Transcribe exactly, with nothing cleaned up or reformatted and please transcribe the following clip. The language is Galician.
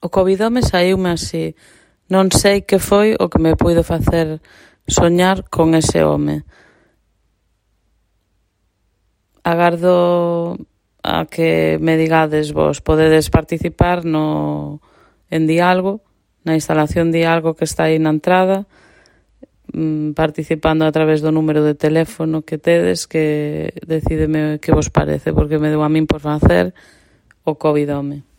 O Covid home saíume así. Non sei que foi o que me puido facer soñar con ese home. Agardo a que me digades vos, podedes participar no en Dialgo, na instalación Dialgo que está aí na entrada, participando a través do número de teléfono que tedes, que decídeme que vos parece, porque me deu a min por facer o Covid home.